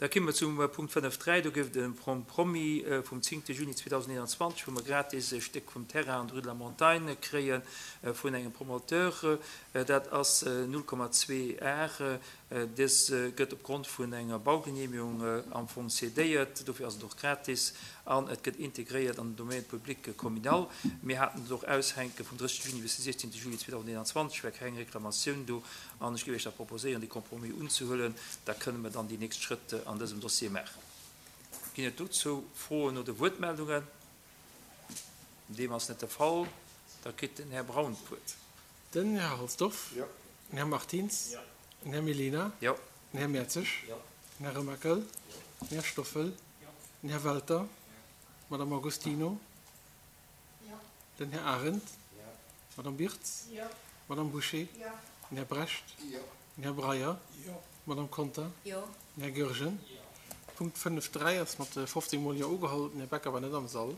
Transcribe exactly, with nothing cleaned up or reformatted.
Da komme mer zum Punkt fënnef dräi. Do gouf et e Compromis vum zéngte Juni zweedausendeenanzwanzeg, wou mer gratis e Stéck vum Terrain an der Rue de la Montagne kréie vun engem Promoteur. Dat ass null Komma zwee Ar. Dës gëtt opgrond vun enger Baugenehmigung am Fong cédéiert. Dofir ass et och gratis an et gëtt integréiert an den Domaine public communal. Mir haten et och aushänke vum drëssegste Juni bis de siechzehnte Juli zweedausendeenanzwanzeg, war keng Reklamatioun do an ech géif Iech da proposéieren, dee Compromis unzehuelen. Da kënne mer dann déi nächst Schrëtt an dësem Dossier maachen. Ginn et dozou Froen oder Wuertmeldungen? Deem ass net de Fall. Da kritt den Här Braun d'Wuert. Den Här Halsdorf. Den Här Martins. Den Här Mellina. Den Här Mertzig. Den Här Remakel. Den Här Stoffel. Den Här Welter. D'Madame Agostino. Den Här Arendt. D'Madame Birtz. D'Madame Bouché. Den Här Brecht. Den Här Breyer. D'Madame Conter. Den Här Goergen. Punkt fënnef dräi ass mat fofzéng Mol Jo ugeholl. Den Här Becker war net am Sall.